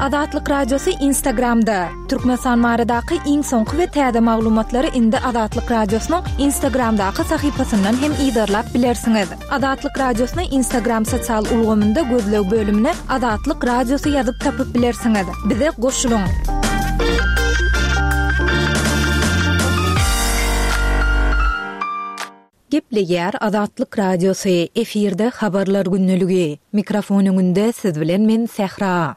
Azatlyk Radiosy Instagramda! Türkmenistan baradaky iň soňky we täze maglumatlary indi Azatlyk Radiosynyň Instagramdaky sahypasyndan hem yzarlap bilersiňiz. Azatlyk Radiosyny Instagram sosial ulgamynda gözleg bölümine Azatlyk Radiosy ýazyp tapyp bilersiňiz. Bize goşulyň! Gepleýär Azatlyk Radiosy, efirde Habarlar gündeligi. Mikrofon öňünde siz bilen men Sähra.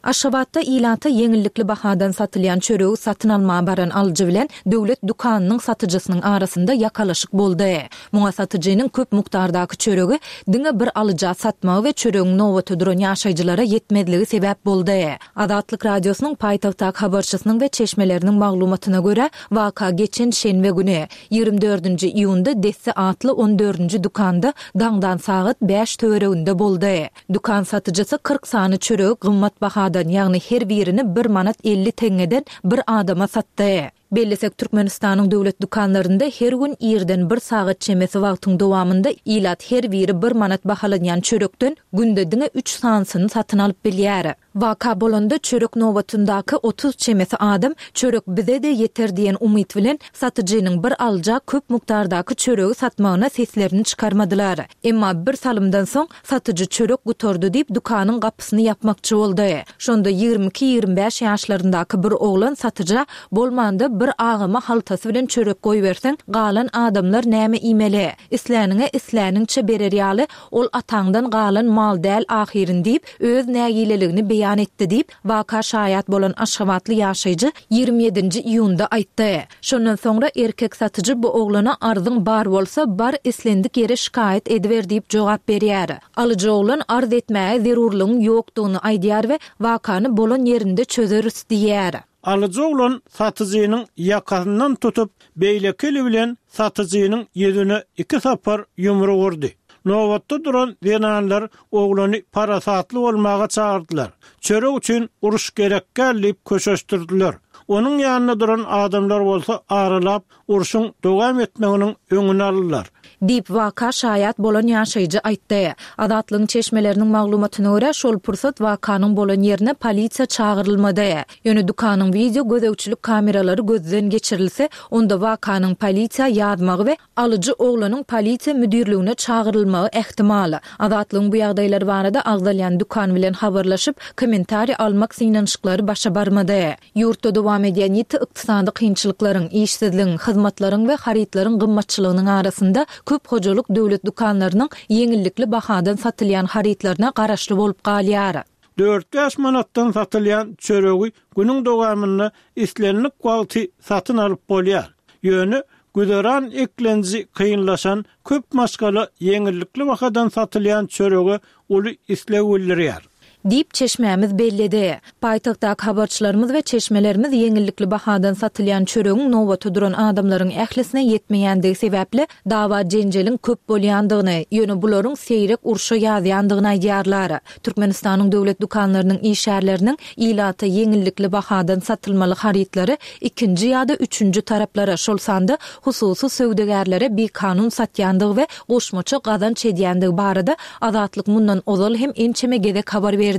Aşgabatda ilata ýeňillikli bahadan satylýan çöregi satyn almaga baran alyjy bilen döwlet dükanynyň satyjysynyň arasynda ýakalaşyk boldy. Muňa satyjynyň köp mukdardaky çöregi diňe bir alyja satmagy we çöregiň nobata duran ýaşaýjylara ýetmezligi sebäp boldy. Azatlyk Radiosynyň paýtagtdaky habarçysynyň we çeşmeleriniň maglumatyna görä, waka geçen şenbe güni, 24-nji iýunda Desse atly on dördünji dükanda daňdan sagat bäş töwereginde boldy. Dükan satyjysy 40 sany çöregi gymmat bahadan, ýagny her birini bir manat 50 teňňeden bir adama satdy. Bellesek, Türkmenistanyň döwlet dükanlarynda her gün irden bir sagat çemesi wagtyň dowamynda ilat her biri bir manat bahalanýan çörekden günde diňe üç sanysyny satyn alyp bilýär. Waka bolanda çörek nobatyndaky 30 çemesi adam çörek bize-de ýeter diýen umyt bilen satyjynyň bir alyja köp mukdardaky çöregi satmagyna seslerini çykarmadylar. Emma bir salymdan soň satyjy çörek gutardy diýip dükanyň gapysyny ýapmakçy boldy. Şonda 22-25 ýaşlaryndaky bir oglan satyja bolmanda bir agama haltasy bilen çörek goýberseň galan adamlar näme iýmeli? Isläniňe isläniňçe berer ýaly Ol ataňdan galan mal däl ahyryn diýip, öz nägileligini beýan etdi diýip, waka şaýat bolan aşgabatly ýaşaýjy 27-nji iýunda aýtdy. Şondan soňra erkek satyjy bu oglana arzyň bar bolsa, bar islendik ýere şikaýat ediber diýip jogap berýär. Alyjy oglan arz etmäge zerurlygyň ýokdugyny aýdýar we wakany bolan ýerinde çözeris diýýär. Alyjy oglan satyjynyň ýakasyndan tutup, beýleki eli bilen satyjynyň ýüzüne iki sapar ýumruk urdy. Nobatda duran zenanlar oglany parasatly bolmaga çagyrdylar. Çörek üçin uruş gerek däl diýip köşeşdirdiler. Onuň ýanynda duran adamlar bolsa aralap, urşuň dowam etmeginiň öňüni aldylar. Diýip, waka şaýat bolan ýaşaýjy aýtdy. Azatlygyň çeşmeleriniň maglumatyna görä, şol pursat wakanyň bolan ýerine polisiýa çagyrylmady. Ýöne dükanyň wideo gözegçilik kameralary gözden geçirilse, onda wakanyň polisiýa ýazmagy we alyjy oglanyň polisiýa müdirligine çagyrylmagy ähtimal. Azatlygyň bu ýagdaýlar barada agzalýan dükan bilen habarlaşyp, kommentariý almak synanyşyklary başa barmady. Ýurtda dowam edýän ýiti ykdysady kynçylyklaryň, işsizligiň, hyzmatlaryň we harytlaryň gymmatçylygynyň arasynda köp hojalyk döwlet dükanlarynyň ýeňillikli bahadan satylýan harytlaryna garaşly bolup galýar. Dört-bäş manatdan satylýan çöregi günüň dowamynda islendik wagty satyn alyp bolýar. Ýöne güzeran eklenji kynlaşan köp maşgala ýeňillikli bahadan satylýan çörege uly isleg bildirýär. Diýip, çeşmämiz belledi. Paýtagtdaky habarçylarymyz we çeşmelerimiz ýeňillikli bahadan satylýan çöregiň nobata duran adamlaryň ählisine ýetmeýändigi sebäpli dawa-jenjeliň köp bolýandygyny, ýöne bularyň seýrek urşa ýazýandygyny aýdýarlar. Türkmenistanyň döwlet dükanlarynyň işgärleriniň ilata ýeňillikli bahadan satylmaly harytlary ikinji ýa-da üçünji taraplara, şol sanda hususy söwdagärlere bikanun satýandygy we goşmaça gazanç edýändigi barada Azatlyk mundan ozal hem ençeme gezek habar berdi.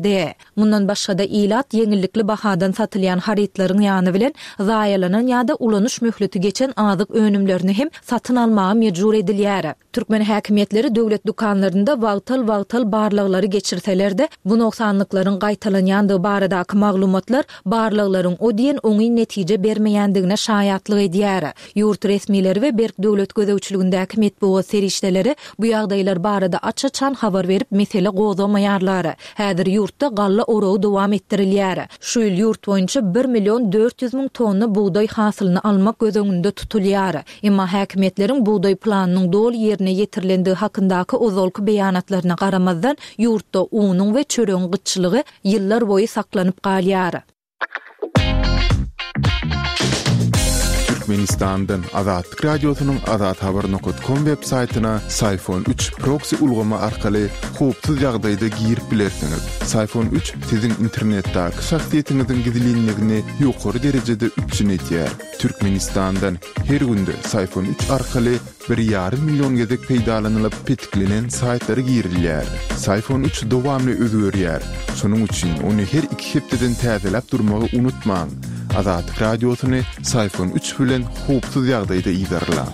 Mundan başga-da, ilat ýeňillikli bahadan satylýan harytlaryň ýany bilen zaýalanan ýa-da ulanyş möhleti geçen azyk önümlerini hem satyn almaga mejbur edilýär. Türkmen häkimiýetleri döwlet dükanlarynda wagtal-wagtal barlaglary geçirseler-de, bu nogsanlyklaryň gaýtalanýandygy baradaky maglumatlar barlaglaryň o diýen oňyn netije bermeýändigine şaýatlyk edýär. Ýurt resmileri we berk döwlet gözegçiligindäki metbugat serişdeleri bu ýagdaýlar barada aç-açan habar berip mesele gozgamaýarlar. Häzir ýurtda galla oragy dowam etdirilýär. Şu ýyl ýurt boýunça bir million 400 müň tonna bugdaý hasylyny almak göz öňünde tutulýar. Emma häkimiýetleriň bugdaý planynyň doly ýerine ýetirilendigi hakyndaky ozalky beýanatlaryna garamazdan, ýurtda unuň we çöregiň gytçylygy ýyllar boýy saklanyp galýar. Türkmenistandan Azatlyk Radiosynyň azathabar nokat kom web saýtyna Syfon üç proksi ulgamy arkaly howpsuz ýagdaýda girip bilersiňiz. Syfon üç siziň internetdäki şahsyýetiňiziň gizlinligini ýokary derejede üpjün edýär. Türkmenistandan her günde Syfon üç arkaly bir ýarym million gezek peýdalanylyp petiklenen saýtlara girilýär. Syfon üç dowamly özgerýär. Şonuň üçin ony her iki hepdeden täzeläp durmagy unutmaň. Azatlyk Radiosyny Syfon üç bilen howpsuz ýagdaýda yzarlaň.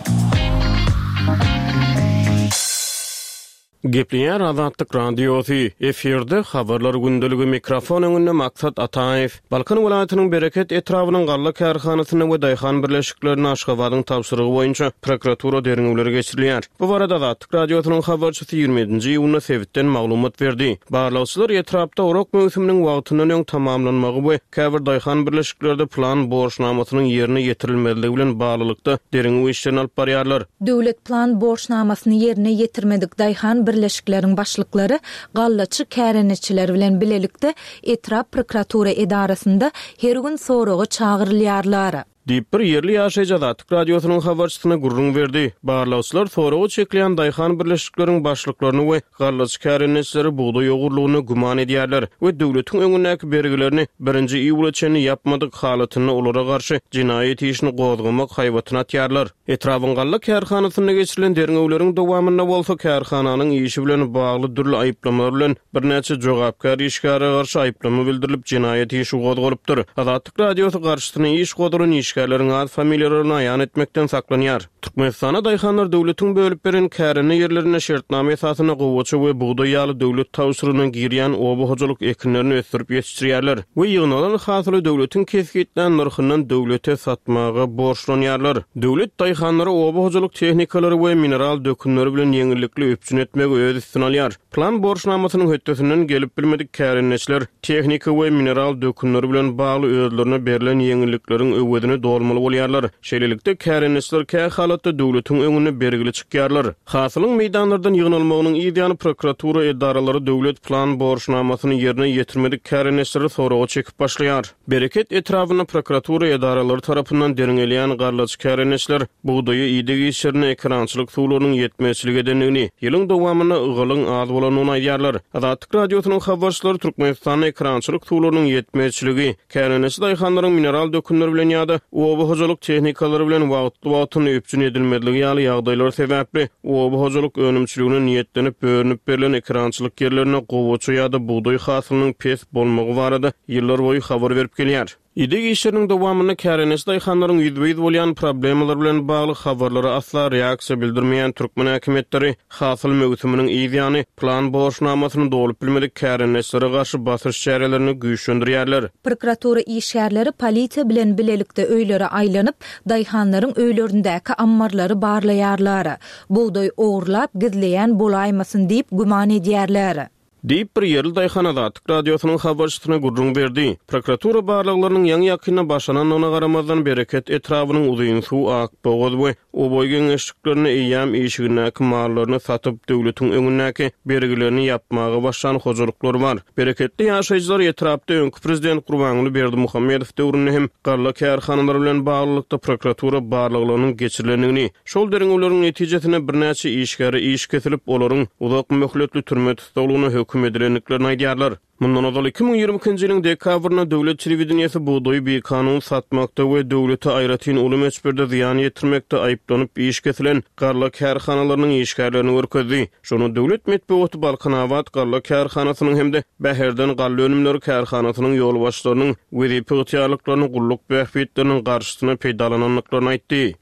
Gepleýär Azatlyk Radiosy, efirde Habarlar gündeligi, mikrofon öňünde Maksat Ataýew. Balkan welaýatynyň Bereket etrabynyň galla kärhanasynda we daýhan birleşiklerinde Aşgabadyň tabşyrygy boýunça prokuratura derňewleri geçirilýär. Bu barada Azatlyk Radiosynyň habarçysy 27-nji iýunda sebitden maglumat berdi. Barlagçylar etrapda orak möwsüminiň wagtyndan öň tamamlanmagy we käbir daýhan birleşiklerde plan borçnamasynyň ýerine ýetirilmezligi bilen baglylykda derňew işlerini alyp barýarlar. Döwlet plan borçnamasyny ýerine ýetirmedik daýhan birleşikleriň başlyklary gallaçy kärendeçiler bilen bilelikde etrap prokuratura edarasynda her gün soraga çagyrylýarlar. Diýip, bir ýerli ýaşaýjy Azatlyk Radiosynyň habarçysyna gürrüň berdi. Barlagçylar soraga çekilýän daýhan birleşikleriň başlyklaryny we gallaçy kärendeçileri bugdaý ogurlygynda güman edýärler we döwletiň öňündäki bergilerini birinji iýula çenli ýapmadyk halatynda olara garşy jenaýat işini gozgamak haýbatyny atýarlar. Etrabyň galla kärhanasynda geçirilen derňewleriň dowamynda bolsa kärhananyň işi bilen bagly dürli aýyplamalar bilen birnäçe jogapkär işgäre garşy aýyplama bildirilip, jenaýat işi gozgalypdyr. Azatlyk Radiosy garşysyna iş gozgalan işgärleriň at-familiýalaryny aýan etmekden saklanýar. Türkmenistanda daýhanlar döwletiň bölüp beren kärende ýerlerinde şertnama esasynda gowaça we bugdaý ýaly döwlet tabşyrygyna girýän oba hojalyk ekinlerini ösdürip ýetişdirýärler we ýygnalan hasyly döwletiň kesgitlän nyrhyndan döwlete satmaga borçlanýarlar. Döwlet daýhanlary oba hojalyk tehnikalary we mineral dökünleri bilen ýeňillikli üpjün etmegi öz üstüne alýar. Plan borçnamasynyň hötdesinden gelip bilmedik kärendeçiler tehnika we mineral dökünleri bilen bagly özlerine berlen ýeňillikleriň öwezini dolmaly bolýarlar. Şeýlelikde, kärendeçiler kä halatda döwletiň öňünde bergili çykýarlar. Hasylyň meýdanlardan ýygnalmagynyň yz ýany prokuratura edaralary döwlet plan borçnamasyny ýerine ýetirmedik kärendeçileri soraga çekip başlaýar. Bereket etrabynda prokuratura edaralary tarapyndan derňelýän gallaçy kärendeçiler bugdaýa ideg işlerinde ekerançylyk suwlarynyň ýetmezçilik edendigini, ýylyň dowamynda ygalyň az bolandygyny aýdýarlar. Azatlyk Radiosynyň habarçylary Türkmenistanda ekerançylyk suwlarynyň ýetmezçiligi, kärendeçi daýhanlaryň mineral dökünler bilen ýa-da oba hojalyk tehnikalary bilen wagtly-wagtynda üpjün edilmezligi ýaly ýagdaýlar sebäpli oba hojalyk önümçiligine niýetlenip bölünip berlen ekerançylyk ýerlerinde gowaça ýa-da bugdaý hasylynyň pes bolmagy barada ýyllarboýy habar berip gelýär. Ideg işleriniň dowamynda kärendeçi daýhanlaryň ýüzbe-ýüz bolýan problemalary bilen bagly habarlara asla reaksiýa bildirmeýän türkmen häkimiýetleri hasyl möwsüminiň yz ýany plan borçnamasyny dolup bilmedik kärendeçilere garşy basyş çärelerini güýçlendirýärler. Prokuratura işgärleri polisiýa bilen bilelikde öýlere aýlanyp, daýhanlaryň öýlerindäki ammarlary barlaýarlar. Bugdaý ogurlap, gizleýän bolaýmasyn diýip güman edýärler. Diýip, bir ýerli daýhan Azatlyk Radiosynyň habarçysyna gürrüň berdi. Prokuratura barlaglarynyň ýaňy-ýakynda başlanandygyna garamazdan, Bereket etrabynyň Uzynsuw, Akbogaz we Oboý geňeşliklerinde eýýäm işigindäki mallaryny satyp, döwletiň öňündäki bergilerini ýapmaga başlan hojalyklar bar. Bereketli ýaşaýjylar etrapda öňki prezident Gurbanguly Berdimuhamedow döwründe hem galla kärhanalary bilen baglylykda prokuratura barlaglarynyň geçirilendigini, Şol derňewleriň netijesinde birnäçe işgäre iş kesilip, olaryň uzak möhletli türme tussaglygyna höküm edilendiklerini aýdýarlar. Mundan ozal, 2022-nji ýylyň dekabrynda döwlet telewideniýesi bugdaýy bikanun satmakda we döwlete aýratyn uly möçberde zyýan ýetirmekde aýyplanyp iş kesilen galla kärhanalarynyň işgärlerini görkezdi. Şonda döwlet metbugaty Balkanabat galla kärhanasynyň hem-de Bäherden galla önümleri kärhanasynyň ýolbaşçylarynyň wezipe ygtyýarlyklaryny gulluk bähbitleriniň garşysyna peýdalanandyklaryny aýtdy.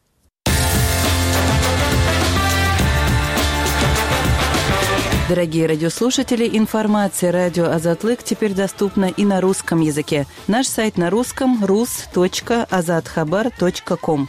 Дорогие радиослушатели, информация радио Азатлык теперь доступна и на русском языке. Наш сайт на русском rus.azathabar.com.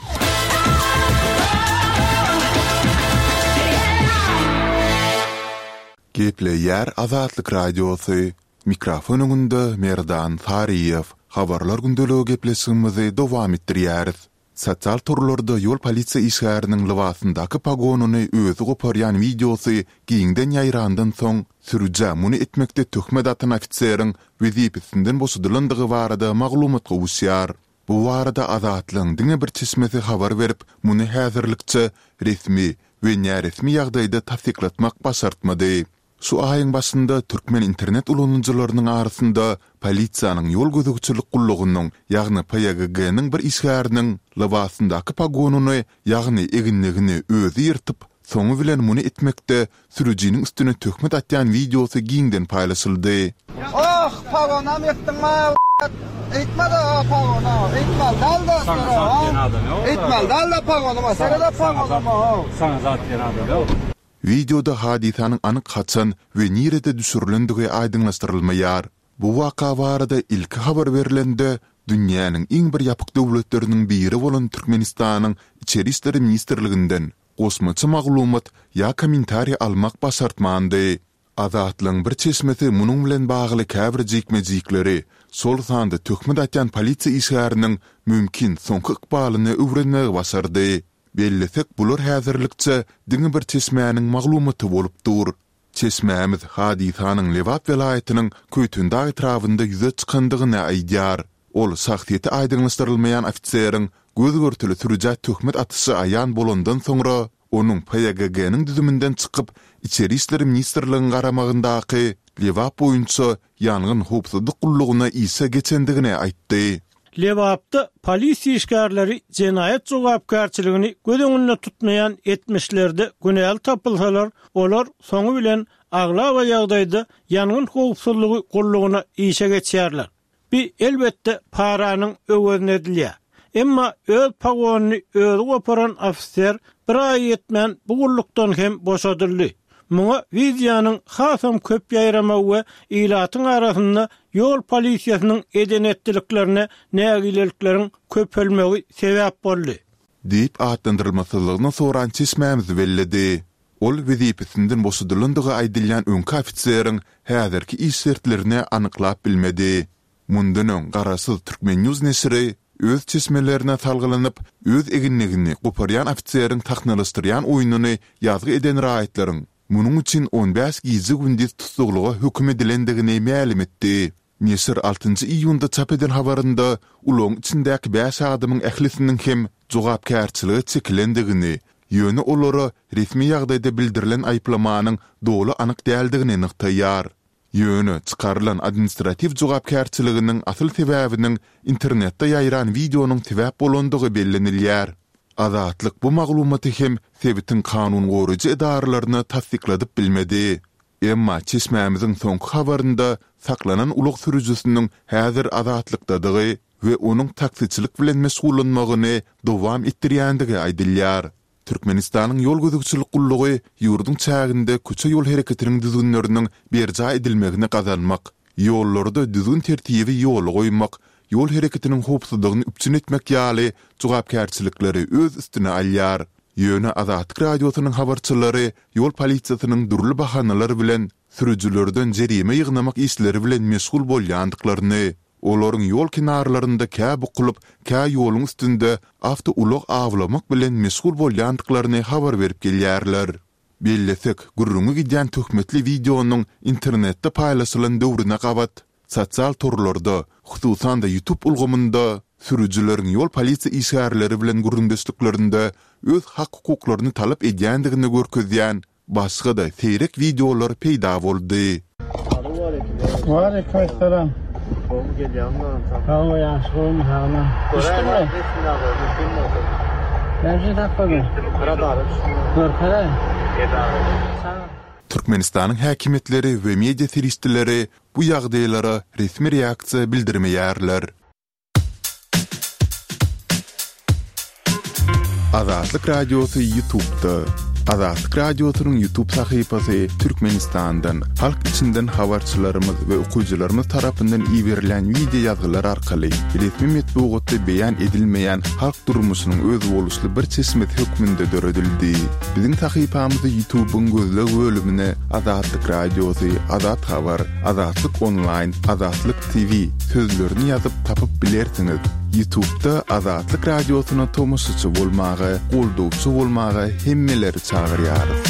Gepleýär Azatlyk Radiosy, Mikrofon öňünde Merdan Saryýew. Habarlar gündeligi gepleşigimizi dowam etdirýäris. Sosial torlarda ýol polisiýa işgäriniň lybasyndaky pogonyny özi goparýan wideosy giňden ýaýrandan soň, sürüjä muny etmekde töhmet atan ofiseriň wezipesinden boşadylandygy barada maglumat gowuşýar. Bu barada Azatlygyň diňe bir çeşmesi habar berip, muny häzirlikçe resmi we näresmi ýagdaýda tassyklatmak başartmady. Şu aýyň başynda türkmen internet ulanyjylarynyň arasynda polisiýanyň ýol gözegçilik gullugynyň, ýagny PÝGG-niň bir işgäriniň lybasyndaky pogonyny, ýagny eginligini özi ýyrtyp, soňy bilen muny etmekde sürüjiniň üstüne töhmet atýan wideosy giňden paýlaşyldy. Oh pagonam ýykdyň maý Eýtmede o pagona eýtmeli däl dostlar o Eýtmeli däl-de pagonyma seredä pagonyma o. Saňa zat diýen adam ýok. Wideoda hadysanyň anyk haçan we nirede düşürilendigi aýdyňlaşdyrylmaýar. Bu waka barada ilki habar berlende, dünýäniň iň bir ýapyk döwletleriniň biri bolan Türkmenistanyň Içeri işler ministrliginden goşmaça maglumat ýa kommentariý almak başartmandy. Azatlygyň bir çeşmesi munuň bilen bagly käbir jikme-jikleri, şol sanda töhmet atýan polisiýa işgäriniň mümkin soňky ykbalyny öwrenmegi başardy. Bellesek, bular häzirlikçe diňe bir çeşmäniň maglumaty bolup dur. Çeşmämiz hadysanyň Lebap welaýatynyň Köýtendag etrabynda ýüze çykandygyny aýdýar. Ol şahsyýeti aýdyňlaşdyrylmaýan ofiseriň göz-görtele sürüjä töhmet atyşy aýan bolandan soňra, onuň PÝGG-niň düzüminden çykyp, Içeri işler ministrligiň garamagyndaky Lebap boýunça ýangyn howpsuzlyk gullugyna işe geçendigini aýtdy. Lebapda polisiýa işgärleri jenaýat jogapkärçiligini göz öňünde tutmaýan etmişlerde günäli tapylsalar, olar soňy bilen aglaba ýagdaýda ýangyn howpsuzlygy gullugyna işe geçýärler. Bi, elbetde, paranyň öwezine edilýär. Emma öz pogonyny özi goparan ofiser bir aýa ýetmän bu gullukdan hem boşadyldy. Muňa wideonyň hasam köp ýaýramagy we ilatyň arasynda ýol polisiýasynyň eden-etdiliklerine nägilelikleriň köpelmegi sebäp boldy. Diýip atlandyrylmasyzlygyny soran çeşmämiz belledi. Ol wezipesinden boşadylandygy aýdylýan öňki ofiseriň häzirki iş şertlerini anyklap bilmedi. Mundan öň garaşsyz Turkmen. News neşiri öz çeşmelerine salgylanyp, öz eginligini goparýan ofiseriň sahnalaşdyrýan oýnuny ýazgy eden raýatlaryň munuň üçin on bäş gije-gündiz tussaglyga höküm edilendigini mälim etdi. Neşir altynjy iýunda çap eden habarynda ulagyň içindäki bäş adamyň ählisiniň hem jogapkärçilige çekilendigini, ýöne olara resmi ýagdaýda bildirilen aýyplamanyň doly anyk däldigini nygtaýar. Ýöne çykarylan administratiw jogapkärçiliginiň asyl sebäbiniň internetde ýaýran wideonyň sebäp bolandygy bellenilýär. Azatlyk bu maglumaty hem sebitiň kanun goraýjy edaralaryna tassykladyp bilmedi. Emma çeşmämiziň soňky habarynda saklanan ulag sürüjisiniň häzir azatlykdadygy we onuň taksiçilik bilen meşgullanmagyny dowam etdirýändigi aýdylýar. Türkmenistanyň Ýol gözegçilik gullugy ýurduň çäginde köçe-ýol hereketiniň düzgünleriniň berjaý edilmegini gazanmak, ýollarda düzgün-tertibi ýola goýmak, ýol hereketiniň howpsuzlygyny üpjün etmek ýaly jogapkärçilikleri öz üstüne alýar. Ýöne Azatlyk Radiosynyň habarçylary ýol polisiýasynyň dürli bahanalar bilen sürüjilerden jerime ýygnamak işleri bilen meşgul bolýandyklaryny, olaryň ýol kenarlarynda kä bukulyp, kä ýoluň üstünde awtoulag awlamak bilen meşgul bolýandyklaryny habar berip gelýärler. Bellesek, gürrüňi gidýän töhmetli wideonyň internetde paýlaşylan döwrüne gabat, sosial torlarda, hususan-da YouTube ulgamynda sürüjileriň ýol polisiýa işgärleri bilen gürrüňdeşliklerinde öz hak-hukuklaryny talap edýändigini görkezýän Başga-da seýrek wideolar peýda boldy. Waleýkim essalam. Gowy gelýäňmi dogan sag. Sag bol ýagşy gowumy sagmy. Düşdüňmi? Näme üçin sakladyň? Radara düşdüm. Görkezäý. Türkmenistanyň häkimiýetleri we media serişdeleri bu ýagdaýlara resmi reaksiýa bildirmeýärler. Azatlyk Radiosy Ýutubda. Azatlyk Radiosynyň Ýutub sahypasy Türkmenistandan, halk içinden habarçylarymyz we okyjylarymyz tarapyndan iberilen wideo ýazgylar arkaly resmi metbugatda beýan edilmeýän halk durmuşynyň özboluşly bir çeşmesi hökmünde döredildi. Biziň sahypamyzy Ýutubyň gözleg bölümine Azatlyk Radiosy, Azat Habar, Azatlyk Onlaýn, Azatlyk TV sözlerini ýazyp tapyp bilersiňiz. Ýutubda Azatlyk Radiosyna tomaşaçy bolmaga, goldawçy bolmaga hemmeleri çagyrýarys.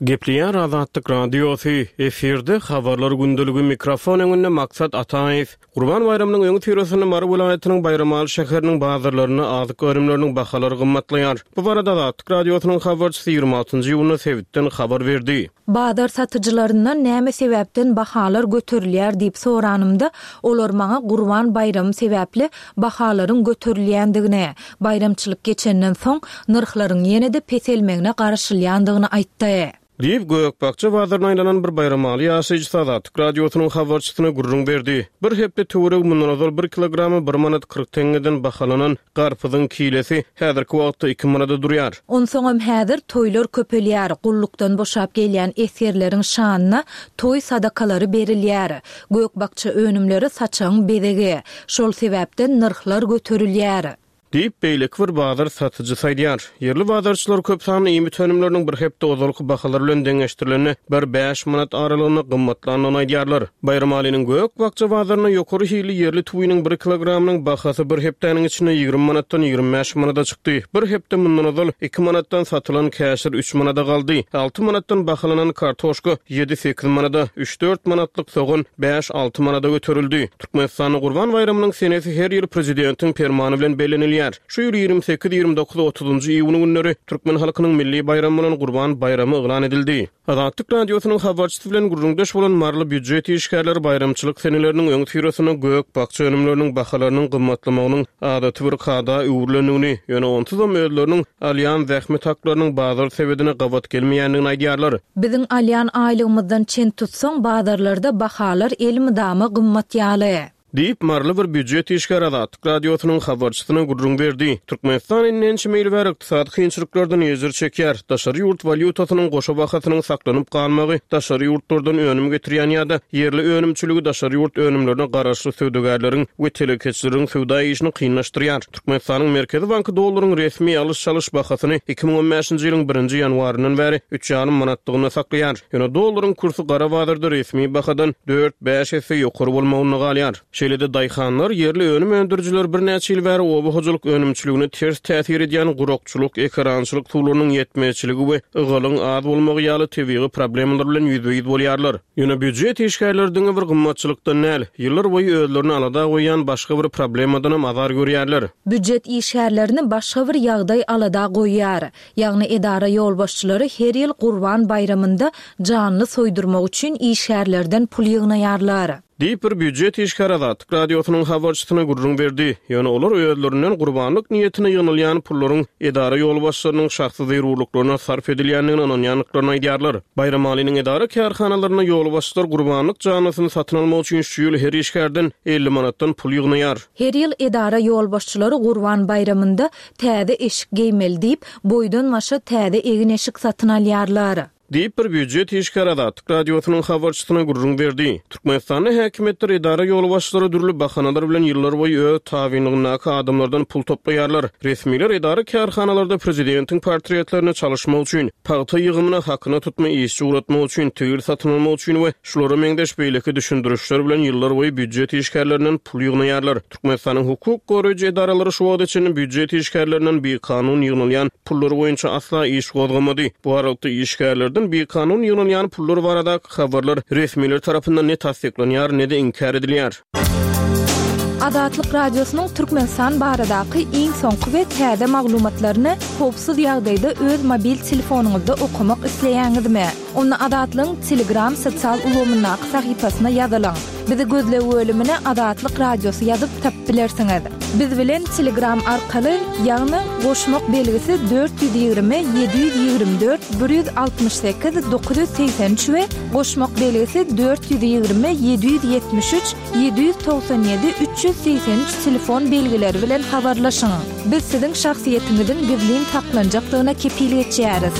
Gepleýär Azatlyk Radiosy, efirde Habarlar gündeligi, mikrofon öňünde Maksat Ataýew. Gurban baýramynyň öňüsyrasynda Mary welaýatynyň Baýramaly şäheriniň bazarlarynda azyk önümleriniň bahalary gymmatlaýar. Bu barada Azatlyk Radiosynyň habarçysy 26 iýunda sebitden habar berdi. Bazar satyjylaryndan näme sebäpden bahalar göterilýär diýip soranymda, olar maňa Gurban baýramy sebäpli bahalaryň göterilýändigini, baýramçylyk geçenden soň, nyrhlaryň ýene-de peselmegine garaşylýandygyny aýtdy. Diýip, gök-bakja bazaryna aýlanan bir baýramaly ýaşaýjysy Azatlyk Radiosynyň habarçysyna gürrüň berdi. Bir hepde töweregi mundan ozal bir kilogramy bir manat 40 teňňeden bahalanan garpyzyň kilesi häzirki wagtda iki manada durýar. Onsoňam häzir toýlar köpelýär, gullukdan boşap gelýän esgerleriň şanyna toý sadakalary berilýär. Gök-bakja önümleri saçagyň bezegi. Şol sebäpden nyrhlar göterilýär. Diýip, beýleki bir bazar satyjysy aýdýar. Ýerli bazarçylar köp sanly iýmit önümleriniň bir hepde ozalky bahalar bilen deňeşdirilende bir bäş manat aralygynda gymmatlandygyny aýdýarlar. Baýramalynyň gök-bakja bazarynda ýokary hilli ýerli tüwiniň bir kilogramynyň bahasy bir hepdäniň içinde 20 manatdan 25 manada çykdy. Bir hepde mundan ozal iki manatdan satylan käşir üç manada galdy. Alty manatdan bahalanan kartoşka ýedi-sekiz manada, üç-dört manatlyk sogan bäş-alty manada göterildi. Türkmenistanda Gurban baýramynyň senesi her ýyl Prezidentiň Permany bilen bellenilýär. Şu ýyl 28, 29, 30-njy iýun günleri türkmen halkynyň milli baýramy bolan Gurban baýramy yglan edildi. Azatlyk Radiosynyň habarçysy bilen gürrüňdeş bolan maryly býujet işgärleri baýramçylyk seneleriniň öňüsyrasynda gök-bakja önümleriniň bahalarynyň gymmatlamagynyň adaty bir kada öwrülendigini, ýöne onsuzam özleriniň alýan zähmet haklarynyň bazar sebedine gabat gelmeýändigini aýdýarlar. Biziň alýan aýlygymyzdan çen tutsaň, bazarlarda bahalar elmydama gymmat ýaly. Diýip, maryly bir býujet işgäri Azatlyk Radiosynyň habarçysyna gürrüň berdi. Türkmenistan indi ençeme ýyl bäri ykdysady kynçylyklardan ejir çekýär. Daşary ýurt walýutasynyň goşa bahasynyň saklanyp galmagy daşary ýurtlardan önüm getirýän ýa-da ýerli önümçiligi daşary ýurt önümlerine garaşly söwdagärleriň we telekeçileriň söwda işini kynlaşdyrýar. Türkmenistanyň Merkezi banky dollaryň resmi alyş-çalyş bahasyny 2015-nji ýylyň birinji ýanwaryndan bäri üç ýarym manatlygynda saklaýar. Ýöne dollaryň kursy gara bazarda resmi bahadan dört-bäş esse ýokary bolmagynda galýar. Şeýle-de daýhanlar, ýerli önüm öndürijiler birnäçe ýyl bäri oba hojalyk önümçiligine ters täsir edýän gurakçylyk, ekerançylyk suwlarynyň ýetmezçiligi we ygalyň az bolmagy ýaly tebigy problemalar bilen ýüzbe-ýüz bolýarlar. Ýöne býujet işgärleri diňe bir gymmatçylykdan däl, ýyllar boýy özlerini alada goýýan başga bir problemadanam azar görýärler. Býujet işgärlerini başga bir ýagdaý alada goýýar. Ýagny edara ýolbaşçylary her ýyl Gurban baýramynda janly soýdurmak üçin işgärlerden pul ýygnaýarlar. Diýip, bir býujet işgäri Azatlyk Radiosynyň habarçysyna gürrüň berdi. Ýöne olar özlerinden gurbanlyk niýetine ýygnalýan pullaryň edara ýolbaşçylarynyň şahsy zerurlyklaryna sarp edilýändigine ynanýandyklaryny aýdýarlar. Baýramalynyň edara-kärhanalarynda ýolbaşçylar gurbanlyk janlysyny satyn almak üçin şu ýyl her işgärden 50 manatdan pul ýygnaýar. Her ýyl edara ýolbaşçylary Gurban baýramynda täze eşik geýmeli diýip, boýdan-başa täze egin-eşik satyn alýarlar. Diýip, bir býujet işgäri Azatlyk Radiosynyň habarçysyna gürrüň berdi. Türkmenistanda häkimiýetler, edara ýolbaşçylary dürli bahanalar bilen ýyllarboýy öz tabynlygyndaky adamlardan pul toplaýarlar. Resmiler edara-kärhanalarda prezidentiň portretlerini çalyşmak üçin, pagta ýygymyna hakyna tutma işçi ugratmak üçin, tigir satyn almak üçin we şulara meňzeş beýleki düşündirişler bilen ýyllarboýy býujet işgärlerinden pul ýygnaýarlar. Türkmenistanyň hukuk goraýjy edaralary şu wagta çenli býujet işgärlerinden bikanun ýygnalýan pullar boýunça asla iş gozgamady. Bu aralykda, işgärlerden bikanun ýygnalýan pullar baradaky habarlar resmiler tarapyndan ne tassyklanýar, ne-de inkär edilýär. Azatlyk Radiosynyň Türkmenistan baradaky iň soňky we täze maglumatlaryny howpsuz ýagdaýda öz mobil telefonyňyzda okamak isleýäňizmi? Onda Azatlygyň Telegram sosial ulgamyndaky sahypasyna ýazylyň. Bizi gözleg bölümine Azatlyk Radiosy ýazyp tapyp bilersiňiz. Biz bilen Telegram arkaly, ýagny goşmak belgisi 420 724 168 983 we goşmak belgisi 420 773 797 383 telefon belgileri bilen habarlaşyň. Biz siziň şahsyýetiňiziň gizlin saklanjakdygyna kepil geçýäris.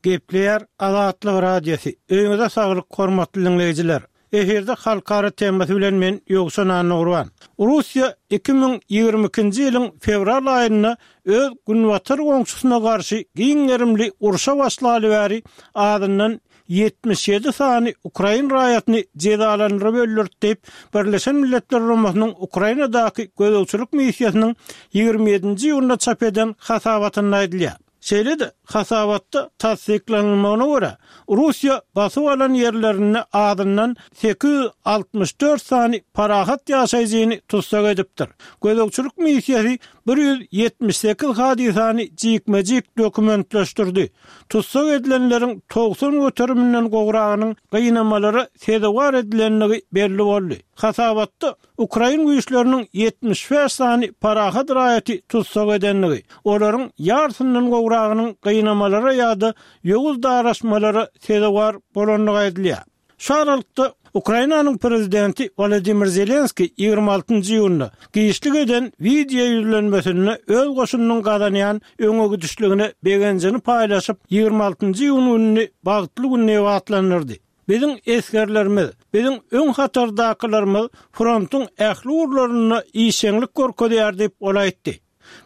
Gepleýär Azatlyk Radiosy. Öýüňize saglyk hormatly diňleýjiler. Efirde halkara temasy bilen men Ýowşan Annagurban. Russiýa 2022-nji ýylyň fewral aýynda öz günbatar goňşusyna garşy giň gerimli urşa başlaly bäri azyndan 77 sany ukrain raýatyny jezalandyryp öldürdi diýip, Birleşen Milletler Guramasynyň Ukrainadaky gözegçilik missiýasynyň 27-nji iýunda çap eden hasabatynda aýdylýar. Şeýle-de, hasabatda tassyklanylmagyna görä, Russiýa basyp alan ýerlerinde azyndan 864 sany parahat ýaşaýjyny tussag edipdir. Gözegçilik missiýasy 178 hadysany jikme-jik dokumentleşdirdi. Tussag edilenleriň 90 göteriminden gowragynyň gynamalara sezewar edilendigi belli boldy. Hasabatda Ukrain güýçleriniň 75 sany parahat raýaty tussag edendigi, olaryň ýarysyndan gowragynyň gynamalara ýa-da ýowuz daraşmalara sezewar bolandygy aýdylýar. Şu aralykda, Ukrainanyň prezidenti Wolodymyr Zelenskiý 26-njy iýunda giçlik eden wideo ýüzlenmesinde öz goşunynyň gazanýan öňegidişligine begenjini paýlaşyp, 26-njy iýun gününi bagtly gün diýip atlandyrdy. Biziň esgerlerimiz, biziň öň hatardakylarymyz frontuň ähli ugurlarynda işjeňlik görkezýär diýip, ol aýtdy.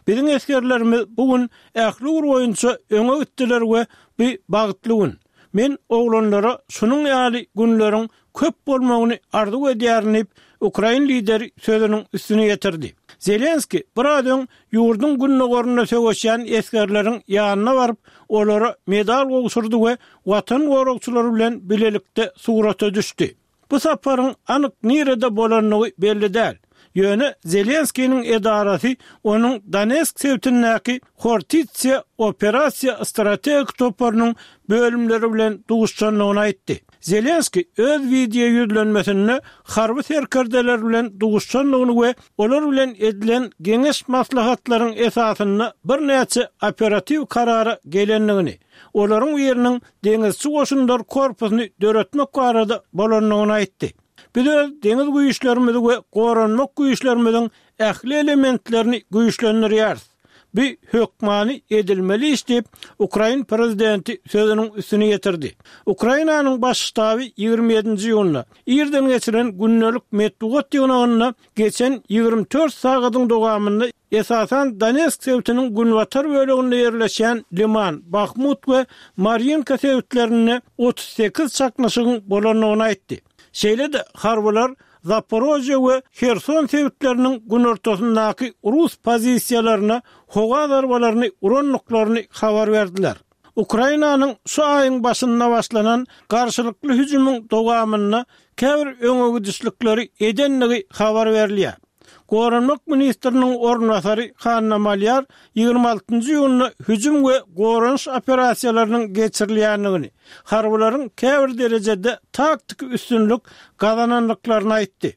Biziň esgerlerimiz bu gün ähli ugur boýunça öňe gitdiler we bu bagtly gün. Men oglanlara şunuň ýaly günleriň köp bolmagyny arzuw edýärin diýip, ukrain lideri sözüniň üstüni ýetirdi. Zelenskiý biraz öň ýurduň gündogarynda söweşýän esgerleriň ýanyna baryp, olara medal gowşurdy we Watan goragçylary bilen bilelikde surata düşdi. Bu saparyň anyk nirede bolandygy belli däl. Ýöne Zelenskiniň edarasy onuň Donetsk sebitindäki Hortitsiýa operasiýa strategik toparynyň bölümleri bilen duşuşandygyny aýtdy. Zelenskiý öz wideo ýüzlenmesinde harby serkerdeler bilen duşuşandygyny we olar bilen edilen geňeş-maslahatlaryň esasynda birnäçe operatiw karara gelendigini, olaryň biriniň Deňizçi goşunlar korpusyny döretmek barada bolandygyny aýtdy. Biz öz deňiz güýçlerimizi we goranmak güýçlerimiziň ähli elementlerini güýçlendirýäris. Bu hökmany edilmeli iş diýip, ukrain prezidenti sözüniň üstüni ýetirdi. Ukrainanyň Baş ştaby 27-nji iýunda irden geçiren gündelik metbugat ýygnagynda geçen 24 sagadyň dowamynda esasan Donetsk sebitiniň günbatar böleginde ýerleşýän Liman, Bahmut we Marýinka sebitlerinde 38 çaknyşygyň bolandygyny aýtdy. Şeýle-de harbylar Zaporožýe we Herson sebitleriniň günortasyndaky rus pozisiýalaryna howa zarbalaryny urandyklaryny habar berdiler. Ukrainanyň şu aýyň başynda başlanan garşylykly hüjümiň dowamynda käbir öňegidişlikleri edendigi habar berilýär. Goranmak ministriniň orunbasary Hanna Malýar 26 iýunda hüjüm we goranyş operasiýalarynyň geçirilýändigini, harbylaryň käbir derejede taktiki üstünlik gazanandyklaryny aýtdy.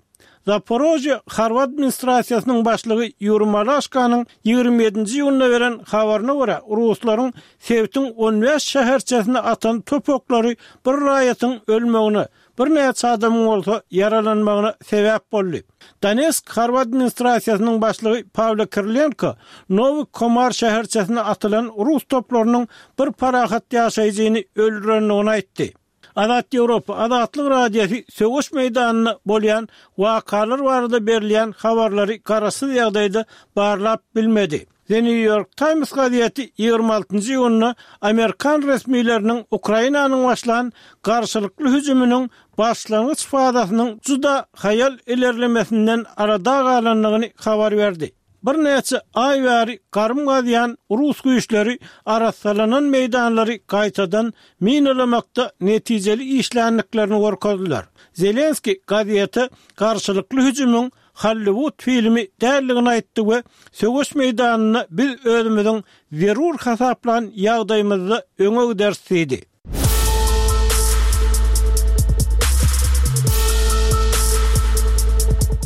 Zaporožýe harby administrasiýasynyň başlygy Ýuriý Malaşkanyň 27-nji iýunda beren habaryna görä, ruslaryň sebitiň on bäş şäherçesine atan top oklary bir raýatyň ölmegine, birnäçe adamyň bolsa ýaralanmagyna sebäp boldy. Donetsk harby administrasiýasynyň başlygy Pawlo Kirilenko Nowy Komar şäherçesine atylan rus toplarynyň bir parahat ýaşaýjyny öldürendigini aýtdy. Azat Ýewropa, Azatlyk Radiosy söweş meýdanynda bolýan wakalar barada berilýän habarlary garaşsyz ýagdaýda barlap bilmedi. The New York Times gazeti 26-njy iýunda amerikan resmileriniň Ukrainanyň başlan garşylykly hüjüminiň başlangyç fazasynyň juda haýal ilerlemesinden alada galandygyny habar berdi. Birnäçe aý bäri garym gazýan rus güýçleri arassalanan meýdanlary gaýtadan minalamakda netijeli işländiklerini görkezdiler. Zelenskiý gazete garşylykly hüjümiň Hollywood filmi däldigini aýtdy we söweş meýdanynda biz özümiziň zerur hasaplan ýagdaýymyzda öňe gideris diýdi.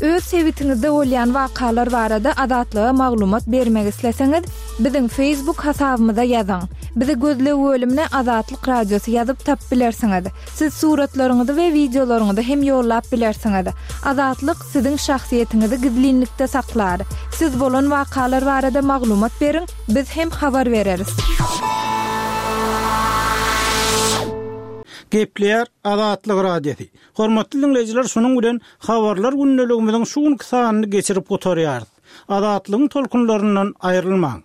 Öz sebitiňizde bolýan wakalar barada Azatlyga maglumat bermek isleseňiz, biziň Facebook hasabymyza ýazyň. Bizi gözleg bölümine Azatlyk Radiosy ýazyp tapyp bilersiňiz. Siz suratlaryňyzy we wideolaryňyzy hem ýollap bilersiňiz. Azatlyk siziň şahsyýetiňizi gizlinlikde saklar. Siz bolan wakalar barada maglumat beriň, biz hem habar bereris. Gepleýär Azatlyk Radiosy. Hormatly diňleýjiler şunuň bilen Habarlar gündeligimiziň şu günki sanyny geçirip gutarýarys. Azatlygyň tolkunlaryndan aýrylmaň.